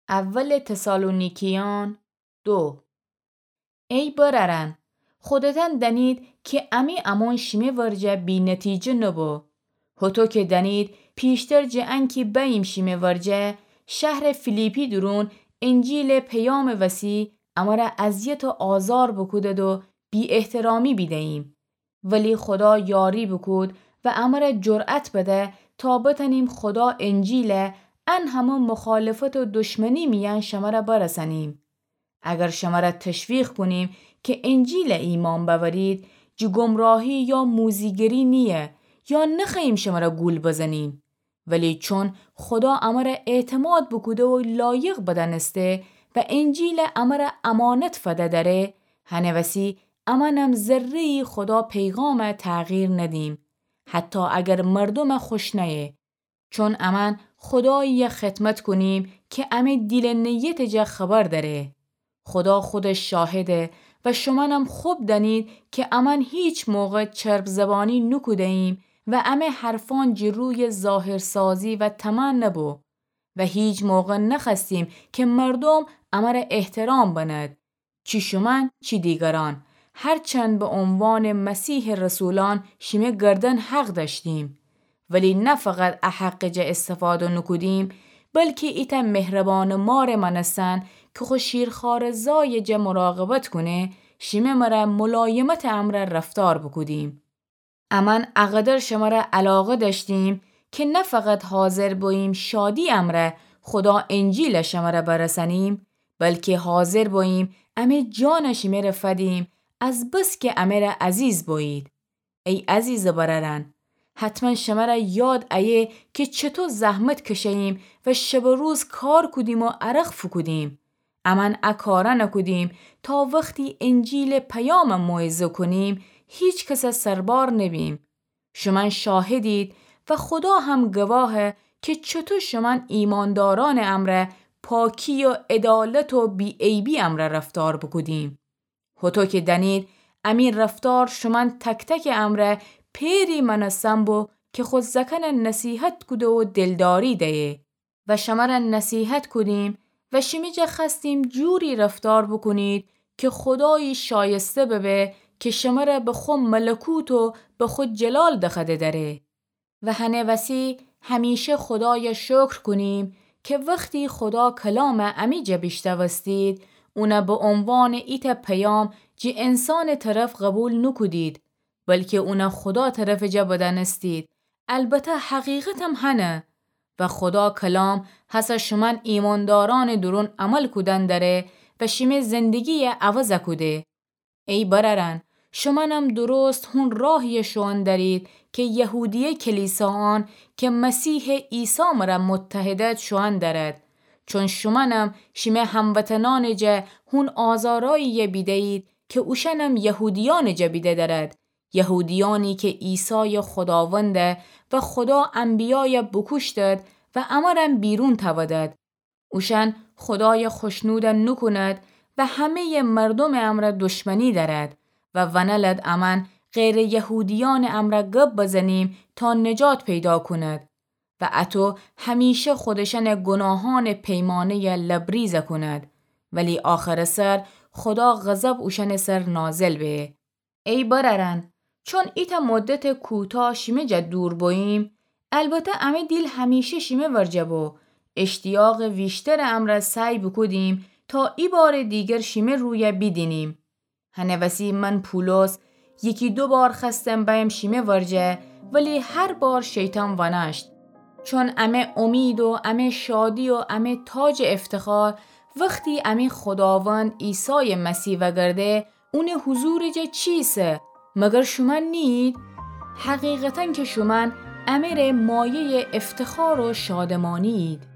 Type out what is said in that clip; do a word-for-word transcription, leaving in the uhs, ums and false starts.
اول تسالونیکیان دو. ای برأرأن، خودتأن دأنید کی امی امون شیمه ورجه بی‌نتیجه نوبو. هوطو کی دأنید، پیشتر جٚه انکی بأییم شیمه ورجه، شهرٚ فیلیپی دورون انجیلٚ پیامٚ وسی امره اذیت و آزار بوکودد و بی‌احترامی بیده‌ییم. ولی خودا یاری بوکود و امره جرأت بده تا بتأنیم خودا انجیله ان همه مخالفت و دشمنی میأن شمره برسأنیم. اگر شمره تشویق کونیم کی انجیله ایمأن بأورید، جٚه گمراهی یا موذی‌گری نییه یا نخوأییم شمره گول بزنیم. ولی چون خودا امره اعتماد بوکوده و لایق بدأنسته و انجیله امره امانت فده دأره، هنه وسی امأنم ذره‌یی خودا پیغامه تغییر ندیم، حتی اگر مردومه خوش نأیه. چون امأن خوداییه خدمت کونیم کی امه دیل نیتٚ جا خبر دأره. خودا خودش شاهده و شومأنم خب دأنید کی امأن هیچ موقع چرب‌زبانی نوکوده‌ییم و امه حرفأن جٚه رویٚ ظاهرسازی و طمع نبو و هیچ موقع نخوأستیم کی مردوم امره احترام بند، چی شومأن چی دیگرأن، هرچند به عنوانٚ مسیحٚ رسولأن شیمه گردن حق دأشتیم. ولی نه فقط ا حقٚ جا استفاده نوکودیم، بلکی ایتأ مهربانٚ مارٚ مأنستن کی خو شیرخوارٚ زایٚ جا مراقبت کونه، شیمه مره ملایمتٚ امرأ رفتار بوکودیم. امأن اقدر شمره علاقه دأشتیم کی نه فقط حاضر بوییم شادی امرأ خودا انجیله شمره برسأنیم، بلکی حاضر بوییم امه جانه شیمه ره فدیم، از بس کی امه ره عزیز بویید. ای عزیزٚ برأرأن، حتماً شمره یاد ایه کی چطو زحمت کشه‌ییم و شب و روز کار کودیم و عرق فوکودیم. امأن ا کارأنه کودیم تا وختی انجیلٚ پیامه موعظه کونیم، هیچ کسه سربار نبیم. شومأن شاهدید و خودا هم گواهه کی چطو شومأن ایماندارأنٚ امرأ پاکی و عدالت و بی‌عیبی امرأ رفتار بوکودیم. هوطو کی دأنید، امی رفتار شومأن تک‌تکٚ امرأ پئری مأنستن بو کی خو زأکأنه نصیحت کوده و دلداری دیه و شمره نصیحت کودیم و شیمی جا خوأستیم جوری رفتار بوکونید کی خودایی شایسته ببه کی شمره به خو ملکوت و به خو جلال دخوأده دأره. و هنه وسی همیشه خودایه شکر کونیم کی وختی خودا کلامه امی جا بیشنوستید، اونه به عنوانٚ ایتأ پیام جٚه انسانٚ طرف قبول نوکودید، بلکی اونه خودا طرفٚ جا بدأنستید. البته حقیقتم هنه. و خودا کلام هسه شومأن ایماندارأنٚ دورون عمل کودن دأره و شیمه زندگی‌یه عوض کوده. ای برأرأن، شومأنم درست هون راهی‌یه شوئون دأرید کی یهودیه کلیسایأن کی مسیحٚ عیسی مره متحدد شوئون دأرد. چون شومأنم شیمه هموطنأنٚ جا هون آزارایی‌یه بیده‌یید کی اوشأنم یهودیأنٚ جا بیده دأرد. یهودیأنی کی عیسایه خوداونده و خودا انبیایه بوکوشتد و امرم بیرون تأودد. اوشأن خودایه خوشنود نوکوند و همه‌یٚ مردومٚ امرأ دشمنی دأرد و ونلد امأن غیرٚ یهودیأنٚ امرأ گب بزنیم تا نجات پیدا کوند. و اطو همیشه خودشأنٚ گوناهأنٚ پیمانه‌یه لبریز کوند. ولی آخرٚ سر خودا غضب اوشأنٚ سر نازل به. ای برأرأن، چون ایتأ مدتٚ کوتاه شیمه جا دور بوییم، البته امه دیل همیشه شیمه ورجه بو، اشتیاقٚ ویشترٚ امرأ سعی بوکودیم تا ایبارٚ دیگر شیمه رویه بیدینیم. هنه وسی من پولس یکی دو بار خوأستم بأیم شیمه ورجه، ولی هر بار شیطان ونأشت. چون امه امید و امه شادی و امه تاجٚ افتخار وختی امه خوداوند عیسایٚ مسیح وگرده، اونٚ حضورٚ جا چی ایسه؟ مگر شومأن نیید؟ حقیقتاً کی شومأن امه ره مایه‌یٚ افتخار و شادمانی‌یید.